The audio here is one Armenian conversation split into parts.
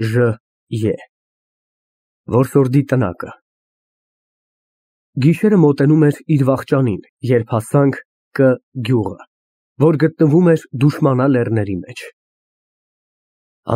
Ժ. Որսորդի տնակը։ Գիշերը մոտենում էր իր վախճանին, երբ հասանք Կ գյուղը, որ գտնվում էր Դուշմանա լեռների մեջ։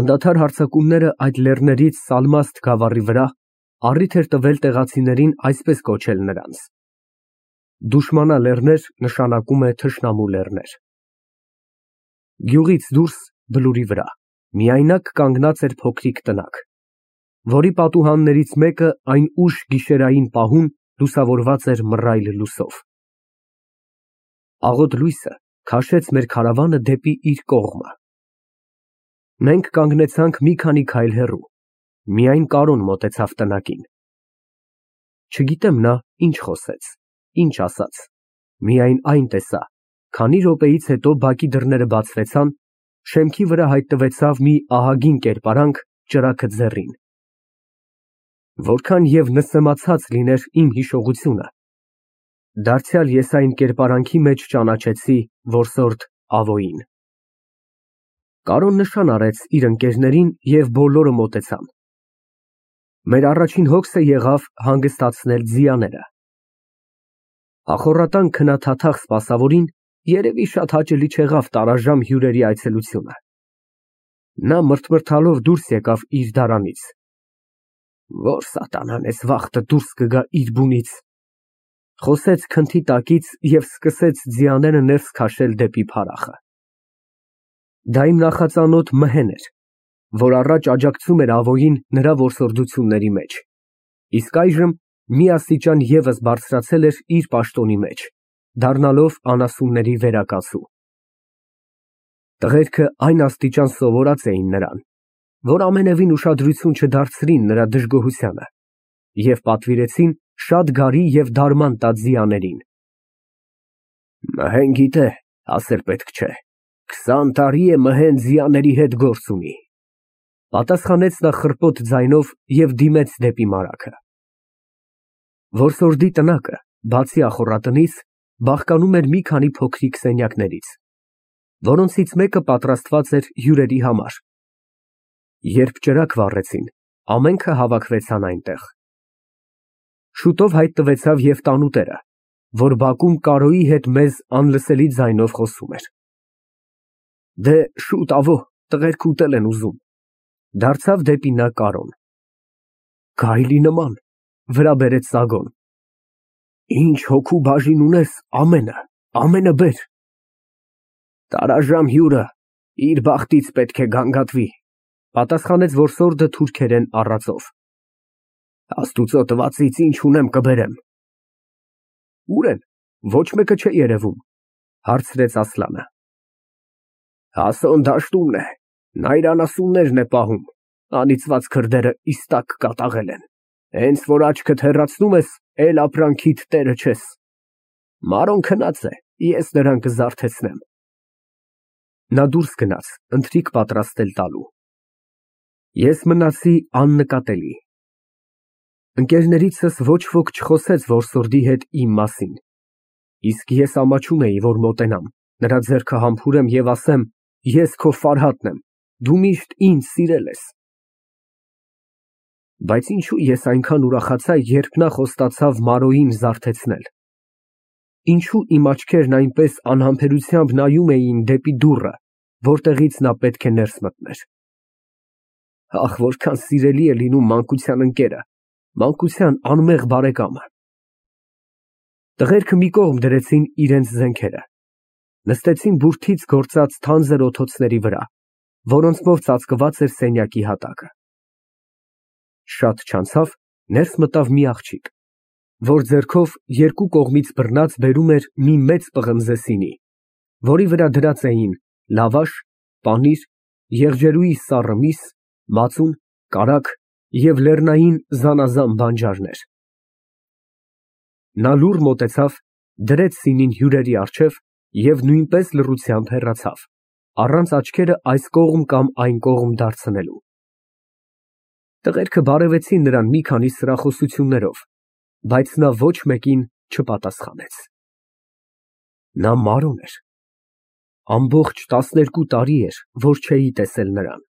Անդադար հարձակումները այդ լեռներից Սալմաստ գավառի վրա առիթ էր տվել տեղացիներին այսպես կոչել նրանց։ Դուշմանա լեռներ նշանակում է թշնամու լեռներ։ Գյուղից դուրս բլուրի վրա միայնակ կանգնած էր փոքրիկ տնակ, որի պատուհաններից մեկը այն ուշ գիշերային պահուն լուսավորված էր մռայլ լույսով։ Աղոտ լույսը քաշեց մեր քարավանը դեպի իր կողմը։ Մենք կանգնեցանք մի քանի քայլ հեռու, միայն Կարոն մոտեցավ տնակին։ Չգիտեմ նա ինչ խոսեց, ինչ ասաց, միայն այն տեսա, քանի րոպեից հետո բակի դռները բացվեցան, շեմքի վրա հայտնվեցավ մի ահագին կերպարանք ճրագը ձեռին։ Որքան և նսեմացած լիներ իմ հիշողությունը, դարձյալ ես այն կերպարանքի մեջ ճանաչեցի որսորդ Ավոյին։ Կարոն նշան արեց իր ընկերներին և բոլորը մոտեցան։ Մեր առաջին հոգսը եղավ հանգստացնել ձիաները։ Ախոռատան քննադատաղ սպասավորին երևի շատ հաճելի չեղավ տարաժամ հյուրերի այցելությունը։ Նա մրթմրթալով դուրս եկավ իր դարանից։ Որ սատանան էս վաղտը դուրս կգա իր բունից, խոսեց քնթի տակից և սկսեց ձիաները ներս քաշել դեպի փարախը։ Դա իմ նախածանոթ Մհեն էր, որ առաջ աջակցում էր Ավոյին նրա որսորդությունների մեջ, իսկ այժմ մի աստիճան ևս բարձրացել էր իր պաշտոնի մեջ, դառնալով անասունների վերակացու։ Տղերքը այն աստիճան սովորած էին նրան, որ ամենևին ուշադրություն չդարձրին նրա դժգոհությանը և պատվիրեցին շատ գարի և դարման տա ձիաներին։ Մհեն գիտե, ասել պետք չէ, 20 տարի է Մհեն ձիաների հետ գործ ունի, պատասխանեց նա խռպոտ ձայնով և դիմեց դեպի մարագը։ Որսորդի տնակը, բացի ախոռատնից, բաղկանում էր մի քանի փոքրիկ սենյակներից, որոնցից մեկը պատրաստված էր հյուրերի համար։ Երբ ճրագ վառեցին, ամենքը հավաքվեցան այնտեղ։ Շուտով հայտնվեցավ և տանուտերը, որ բակում Կարոյի հետ մեզ անլսելի ձայնով խոսում էր։ Դե շուտ ավո, տղերք ուտել են ուզում, դարձավ դեպի նա Կարոն։ Գայլի նման, վրա բերեց սագոն։ Ինչ հոգու բաժին ունես, ամենը բեր։ Տարաժամ հյուրը իր բախտից պետք է գանգատվի, պատասխանեց որսորդը թուրքերեն առածով։ Աստուծո տվածից ինչ ունեմ կբերեմ։ Ուր են, ոչ մեկը չէ երևում, հարցրեց Ասլանը։ Հասոն դաշտումն է, նա իր անասուններն է պահում, անիծված քրդերը իստակ կատաղել են, հենց որ աչքդ հեռացնում ես, էլ ապրանքիդ տերը չես։ Մարոն քնած է, ես նրան կզարթեցնեմ։ Նա դուրս գնաց, ընթրիք պատրաստել տալու։ Ես մնացի աննկատելի։ Ընկերներիցս ոչ ոք չխոսեց որսորդի հետ իմ մասին, իսկ ես ամաչում էի, որ մոտենամ, նրա ձեռքը համբուրեմ և ասեմ. ես քո Ֆարհատն եմ, դու միշտ ինձ սիրել ես։ Բայց ինչու ես այնքան ուրախացա, երբ նա խոստացավ Մարոյին զարթեցնել։ Ինչու իմ աչքերն այնպես անհամբերությամբ նայում էին դեպի դուռը, որտեղից նա պետք է ներս մտներ։ Ախ, որքան սիրելի է լինում մանկության ընկերը, մանկության անմեղ բարեկամը։ Տղերքը մի կողմ դրեցին իրենց զենքերը, նստեցին բուրդից գործած թանձր օթոցների վրա, որոնցմով ծածկված էր սենյակի հատակը։ Շատ չանցավ, ներս մտավ մի աղջիկ, որ ձեռքով երկու կողմից բռնած բերում էր մի մեծ պղնձե սինի, որի վրա դրած էին լավաշ, պանիր, եղջերուի սառը միս, մածուն, կարագ և լեռնային զանազան բանջարներ։ Նա լուռ մոտեցավ, դրեց սինին հյուրերի առջև և նույնպես լռությամբ հեռացավ, առանց աչքերը այս կողմ կամ այն կողմ դարձնելու։ Տղերքը բարևեցին նրան մի քանի սրախոսություններով, բայց նա ոչ մեկին չպատասխանեց։ Նա Մարոն էր։ Ամբողջ 12 տարի էր, որ չէի տեսել նրան։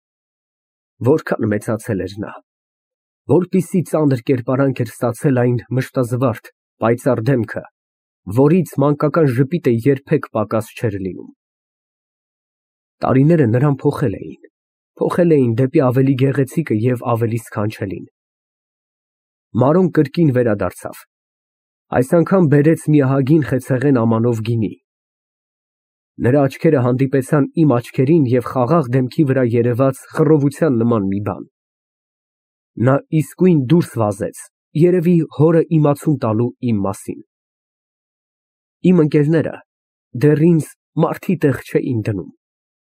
Որքան մեծացել էր նա, որպիսի ծանր կերպարանք էր ստացել այն մշտազվարթ, պայծառ դեմքը, որից մանկական ժպիտը երբեք պակաս չէր լինում։ Տարիները նրան փոխել էին դեպի ավելի գեղեցիկը և ավելի սքանչելին։ Մարոն կրկին վերադարձավ, այս անգամ բերեց մի ահագին խեցեղեն ամանով գինի։ Նրա աչքերը հանդիպեցան իմ աչքերին և խաղաղ դեմքի վրա երևաց խռովության նման մի բան։ Նա իսկույն դուրս վազեց, երևի հորը իմացում տալու իմ մասին։ Իմ ընկերները դեռ ինձ մարդի տեղ չէին դնում,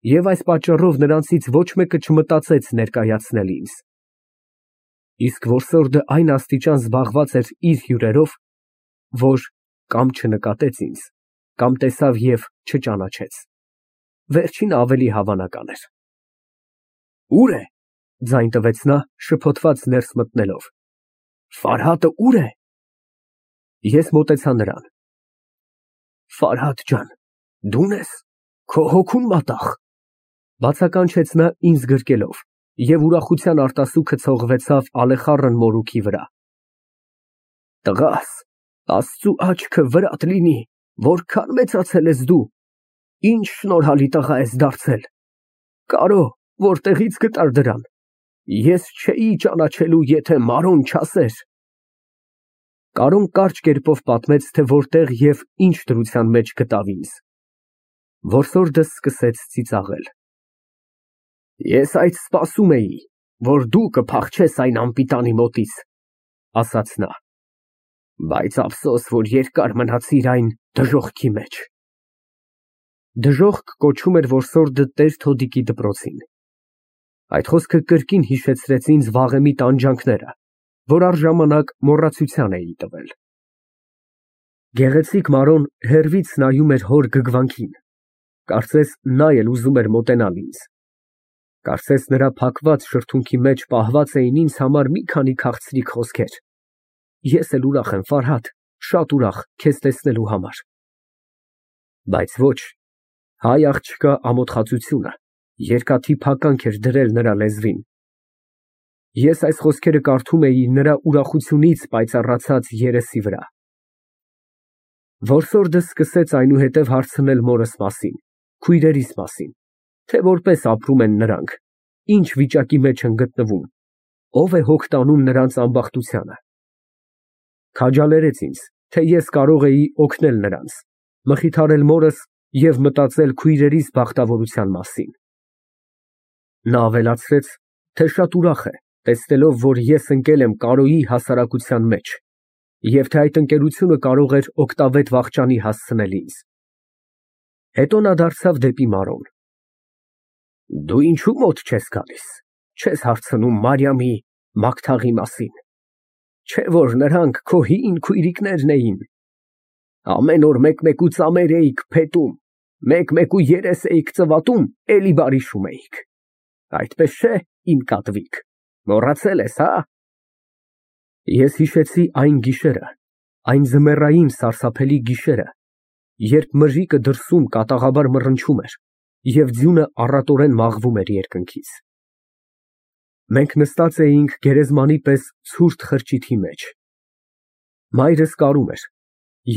և այս պատճառով նրանցից ոչ մեկը չմտածեց ներկայացնել ինձ։ Իսկ որսորդը այն աստիճան զբաղված էր իր հյուրերով, որ կամ չնկատեց ինձ, կամ տեսավ և չճանաչեց։ Վերջինը ավելի հավանական էր։ Ո՞ւր է, ձայն տվեց նա, շփոթված ներս մտնելով։ Ֆարհատը ո՞ւր է։ Ես մոտեցա նրան։ Ֆարհատ ջան, դու՞ն ես, քո հոգուն մատաղ, բացականչեց նա ինձ գրկելով, և ուրախության արտասուքը ցողվեցավ ալեխառն մորուքի վրա։ Տղաս, Աստծու աչքը վրատ լինի, որքան մեծացել ես դու, ինչ շնորհալի տղա ես դարձել, կարո, որտեղի՞ց գտար դրան, ես չէի ճանաչելու, եթե Մարոն չասեր։ Կարոն կարճ կերպով պատմեց, թե որտեղ և ինչ դրության մեջ գտավ ինձ։ Որսորդը սկսեց ծիծաղել։ Ես այդ սպասում էի, որ դու կփախչես այն անպիտանի մոտից, ասաց նա, բայց ափսոս, որ երկար մնացիր այն դժոխքի մեջ։ Դժոխք կոչում էր որսորդը տեր֊թոդիկի դպրոցին։ Այդ խոսքը կրկին հիշեցրեց ինձ վաղեմի տանջանքները, որ առժամանակ մոռացության էի տվել։ Գեղեցիկ Մարոն հեռվից նայում էր հոր գգվանքին, կարծես նա էլ ուզում էր մոտենալ ինձ։ Կարծես նրա փակված շրթունքի մեջ պահված էին ինձ համար մի քանի քաղցրիկ խոսքեր։ Ես էլ ուրախ եմ, Ֆարհատ, շատ ուրախ քեզ տեսնելու համար։ Բայց ոչ, հայ աղջկա ամոթխածությունը երկաթի փականք էր դրել նրա լեզվին։ Ես այս խոսքերը կարդում էի նրա ուրախությունից պայծառացած երեսի վրա։ Որսորդը սկսեց այնուհետև հարցնել մորս մասին, քույրերիս մասին, թե որպես ապրում են նրանք, ինչ վիճակի մեջ են գտնվում, ով է հոգ տանում նրանց ամբախտությանը։ Քաջալերեց ինձ, թե ես կարող էի օգնել նրանց, մխիթարել մորս և մտածել քույրերիս բախտավորության մասին։ Նա ավելացրեց, թե շատ ուրախ է, տեսնելով, որ ես ընկել եմ Կարոյի հասարակության մեջ, և թե այդ ընկերությունը կարող էր օգտավետ վախճանի հասցնել ինձ։ Հետո նա դարձավ դեպի Մարոն։ Դու ինչու մոտ չես գալիս, չես հարցնում Մարիամի, Մագթաղի մասին, չէ՞ որ նրանք քո հին քույրիկներն էին։ Ամեն օր մեկ֊մեկու ծամեր էիք փետում, մեկ֊մեկու երես էիք ծվատում, էլի բարիշում էիք։ Այդպես չէ՞, իմ կատվիկ, մոռացել ես, հա։ Ես հիշեցի այն գիշերը, այն ձմեռային սարսափելի գիշերը, երբ մրրիկը դրսում կատաղաբար մռնչում էր և ձյունը առատորեն մաղվում էր երկնքից։ Մենք նստած էինք գերեզմանի պես ցուրտ խրճիթի մեջ։ Մայրս կարում էր,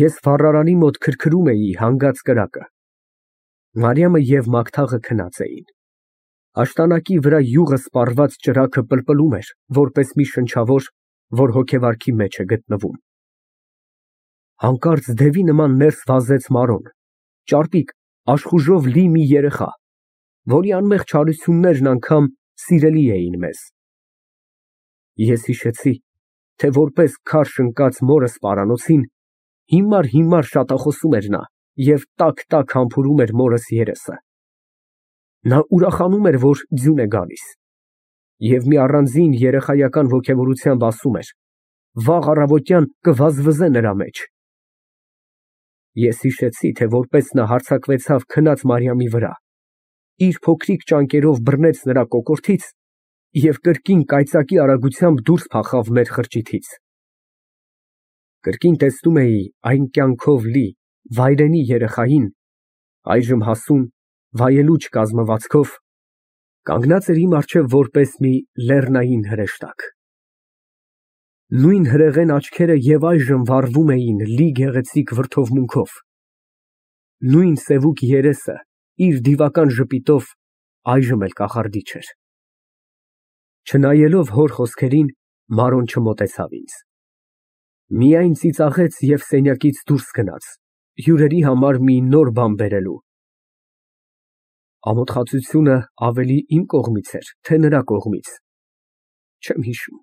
ես վառարանի մոտ քրքրում էի հանգած կրակը։ Մարիամը և Մագթաղը քնած էին։ Աշտանակի վրա յուղը սպառված ճրագը պլպլում էր, որպես մի շնչավոր, որ հոգեվարքի մեջ է գտնվում։ Հանկարծ դևի նման ներս վազեց Մարոն, ճարպիկ, աշխուժով լի մի երեխա, որի անմեղ չարություններն անգամ սիրելի էին մեզ։ Ես հիշեցի, թե որպես քարշ ընկած մորս պարանոցին, հիմար շատախոսում էր նա և տաք համբուրում էր մորս երեսը։ Նա ուրախանում էր, որ ձյուն է գալիս, և մի առանձին երեխայական ոգևորությամբ ասում էր. վաղ առավոտյան կվազվզե նրա մեջ։ Ես հիշեցի, թե որպես նա հարձակվեցավ քնած Մարիամի վրա, իր փոքրիկ ճանկերով բռնեց նրա կոկորդից և կրկին կայծակի արագությամբ դուրս փախավ մեր խրճիթից։ Կրկին տեսնում էի այն կյանքով լի, վայրենի երեխային, այժմ հասուն, վայելուչ կազմվածքով, Կանգնած էր իմ առջև որպես մի լեռնային հրեշտակ։ Նույն հրեղեն աչքերը և այժմ վառվում էին լի գեղեցիկ վրդովմունքով, նույն սևուկ երեսը իր դիվական ժպիտով այժմ էլ կախարդիչ էր։ Չնայելով հոր խոսքերին, Մարոն չմոտեցավ ինձ, միայն ծիծաղեց և սենյակից դուրս գնաց, հյուրերի համար մի նոր բան բերելու։ Ամոթխածությունը ավելի իմ կողմից էր, թե նրա կողմից, չեմ հիշում,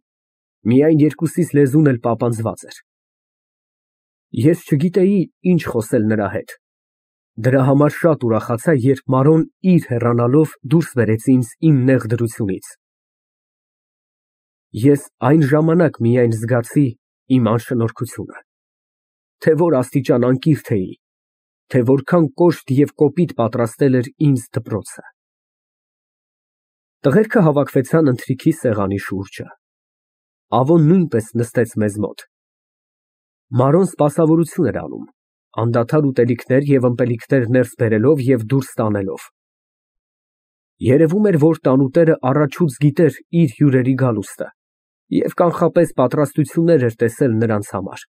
միայն երկուսիս լեզուն էլ պապանձված էր։ Ես չգիտեի ինչ խոսել նրա հետ, դրա համար շատ ուրախացա, երբ Մարոն իր հեռանալով դուրս բերեց ինձ իմ նեղ դրությունից։ Ես այն ժամանակ միայն զգացի իմ անշնորհքությունը, թե որ աստիճան անկիրք էի, թե որքան կոշտ և կոպիտ պատրաստել էր ինձ դպրոցը։ Տղերքը հավաքվեցան ընթրիքի սեղանի շուրջը, Ավոն նույնպես նստեց մեզ մոտ։ Մարոն սպասավորություն էր անում, անդադար ուտելիքներ և ըմպելիքներ ներս բերելով և դուրս տանելով։ Երևում էր, որ տանուտերը առաջուց գիտեր իր հյուրերի գալուստը և կանխապես պատրաստություններ էր տեսել նրանց համար։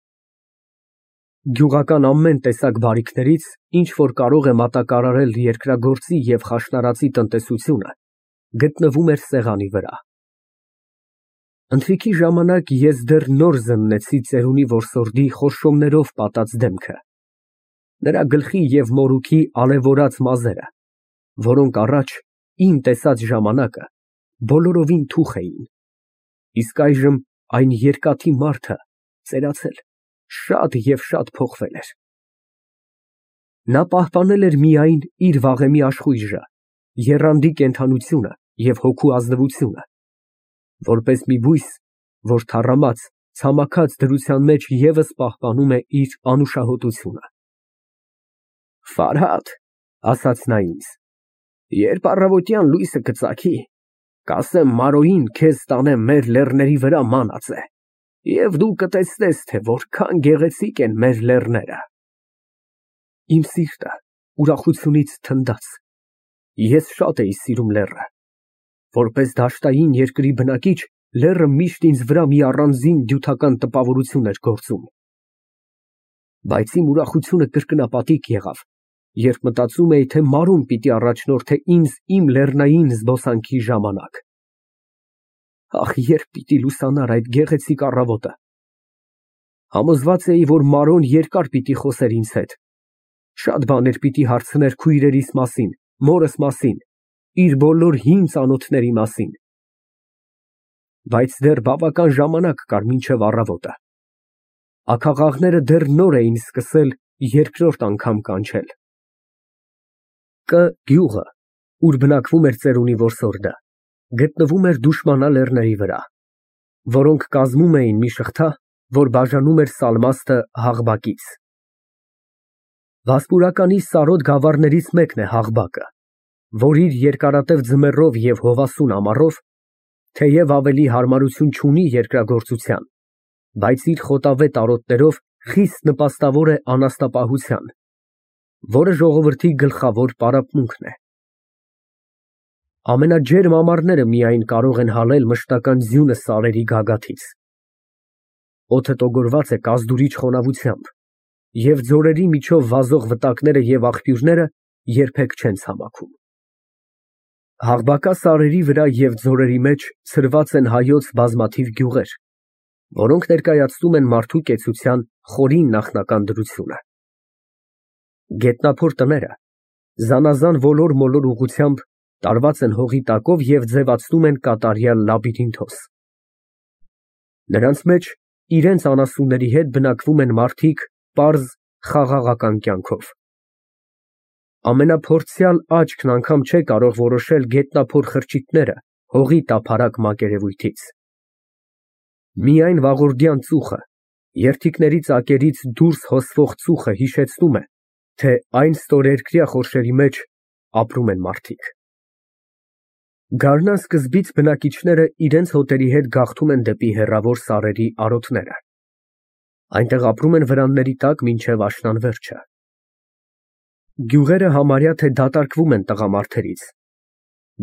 Գյուղական ամեն տեսակ բարիքներից, ինչ որ կարող է մատակարարել երկրագործի և խաշնարածի տնտեսությունը, գտնվում էր սեղանի վրա։ Ընթրիքի ժամանակ ես դեռ նոր զննեցի ծերունի որսորդի խորշոմներով պատած դեմքը, նրա գլխի և մորուքի ալևորած մազերը, որոնք առաջ իմ տեսած ժամանակը բոլորովին թուխ էին, իսկ այժմ այն երկաթի մարդը ծերացել, շատ և շատ փոխվել էր։ Նա պահպանել էր միայն իր վաղեմի աշխույժը, եռանդի կենդանությունը և հոգու ազնվությունը, որպես մի բույս, որ թառամած, ցամաքած դրության մեջ ևս պահպանում է իր անուշահոտությունը։ Ֆարհադ, ասաց նա ինձ, երբ առավոտյան լույսը կծագի, կասեմ Մարոյին քեզ տանեմ մեր լեռների վրա մանածե, և դու կտեսնես, թե որքան գեղեցիկ են մեր լեռները։ Իմ սիրտը ուրախությունից թնդաց, ես շատ էի սիրում լեռը, որպես դաշտային երկրի բնակիչ, լեռը միշտ ինձ վրա մի առանձին դյութական տպավորություն էր գործում։ Բայց իմ ուրախությունը կրկնապատիկ եղավ, երբ մտածում էի, թե Մարոն պիտի առաջնորդե ինձ իմ լեռնային զբոսանքի ժամանակ։ Ահ, երբ պիտի լուսանար այդ գեղեցիկ առավոտը։ Համոզված էի, որ Մարոն երկար պիտի խոսեր ինձ հետ, շատ բաներ պիտի հարցներ քույրերիս մասին, մորս մասին, իր բոլոր հին ծանոթների մասին։ Բայց դեռ բավական ժամանակ կար մինչև առավոտը։ Աքաղաղները դեռ նոր էին սկսել երկրորդ անգամ կանչել։ Կ գյուղը, ուր բնակվում էր ծերունի որսորդը, գտնվում էր Դուշմանա լեռների վրա, որոնք կազմում էին մի շղթա, որ բաժանում էր Սալմաստը Հաղբակից։ Վասպուրականի սարոտ գավառներից մեկն է Հաղբակը, որ իր երկարատև ձմեռով և հովասուն ամառով, թեև ավելի հարմարություն չունի երկրագործության, բայց իր խոտավետ արոտներով խիստ նպաստավոր է անասնապահության, որը ժողովրդի գլխավոր պարապմունքն է։ Ամենաջերմ ամառները միայն կարող են հալել մշտական ձյունը սարերի գագաթից։ Օդը տոգորված է կազդուրիչ խոնավությամբ, և ձորերի միջով վազող վտակները և աղբյուրները երբեք չեն ցամաքում։ Հաղբակա սարերի վրա և ձորերի մեջ ցրված են հայոց բազմաթիվ գյուղեր, որոնք ներկայացնում են մարդու կեցության խորին նախնական դրությունը։ Գետնափոր տները զանազան ոլոր֊մոլոր ուղղությամբ տարված են հողի տակով և ձևացնում են կատարյալ լաբիրինթոս։ Նրանց մեջ իրենց անասունների հետ բնակվում են մարդիկ պարզ, խաղաղական կյանքով։ Ամենափորձյալ աչքն անգամ չէ կարող որոշել գետնափոր խրճիթները հողի տափարակ մակերևույթից։ Միայն վաղորդյան ծուխը, երդիքների ծակերից դուրս հոսվող ծուխը հիշեցնում է, թե այն ստորերկրյա խորշերի մեջ ապրում են մարդիկ։ Գարնան սկզբից բնակիչները իրենց հոտերի հետ գաղթում են դեպի հեռավոր սարերի արոտները։ Այնտեղ ապրում են վրանների տակ մինչև աշնան վերջը։ Գյուղերը համարյա թե դատարկվում են տղամարդերից։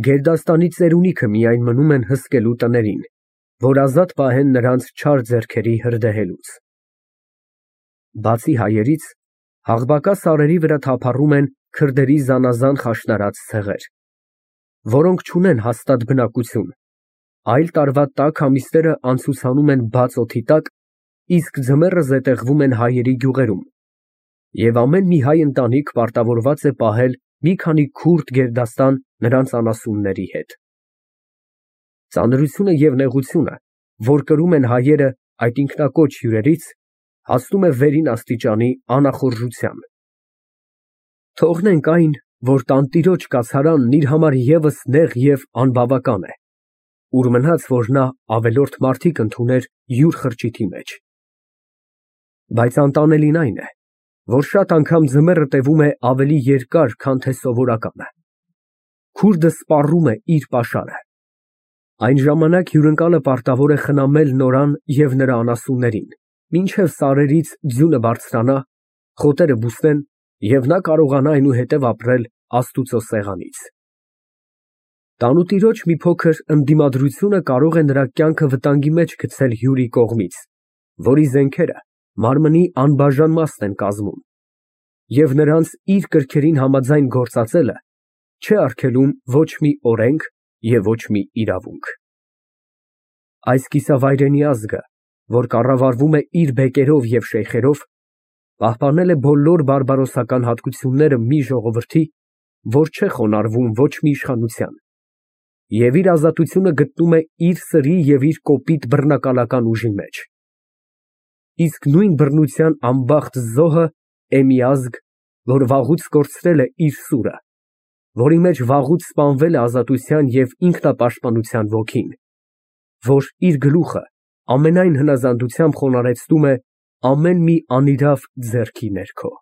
Գերդաստանի ծերունիքը միայն մնում են հսկելու տներին, որ ազատ պահեն նրանց չար ձեռքերի հրդեհելուց։ Բացի հայերից, Աղբակա սարերի վրա թափառում են քրդերի զանազան խաշնարած ցեղեր, որոնք չունեն հաստատ բնակություն, այլ տարվա տաք ամիսները անցուցանում են բաց օդի տակ, իսկ ձմեռը զետեղվում են հայերի գյուղերում, և ամեն մի հայ ընտանիք պարտավորված է պահել մի քանի քուրդ գերդաստան նրանց անասունների հետ։ Ծանրությունը և նեղությունը, որ կրում են հայերը այդ ինքնակոչ հյուրերից, հասնում է վերին աստիճանի անախորժության։ Թողնենք այն, որ տանտիրոջ կացարանն իր համար ևս նեղ և անբավական է, ուր մնաց, որ նա ավելորդ մարդիկ ընդուներ յուր խրճիթի մեջ։ Բայց անտանելին այն է, որ շատ անգամ ձմեռը տևում է ավելի երկար, քան թե սովորականը։ Քուրդը սպառում է իր պաշարը։ Այն ժամանակ հյուրընկալը պարտավոր է խնամել նորան և նրա անասուններին, մինչև սարերից ձյունը բարձրանա, խոտերը բուսնեն, և նա կարողանա այնուհետև ապրել Աստուծո սեղանից։ Տանուտիրոջ մի փոքր ընդդիմադրությունը կարող է նրա կյանքը վտանգի մեջ գցել հյուրի կողմից, որի զենքերը մարմնի անբաժան մասն են կազմում, և նրանց իր կրքերին համաձայն գործածելը չէ արգելում ոչ մի օրենք և ոչ մի իրավունք։ Այս կիսավայրենի ազգը, որ կառավարվում է իր բեկերով և շեյխերով, պահպանել է բոլոր բարբարոսական հատկությունները մի ժողովրդի, որ չէ խոնարհվում ոչ մի իշխանության, և իր ազատությունը գտնում է իր սրի և իր կոպիտ բռնակալական ուժի մեջ։ Իսկ նույն բռնության անբախտ զոհը է մի ազգ, որ վաղուց կորցրել է իր սուրը, որի մեջ վաղուց սպանվել է ազատության և ինքնապաշտպանության ոգին, որ իր գլուխը ամենայն հնազանդությամբ խոնարհեցնում է ամեն մի անիրավ ձեռքի ներքո։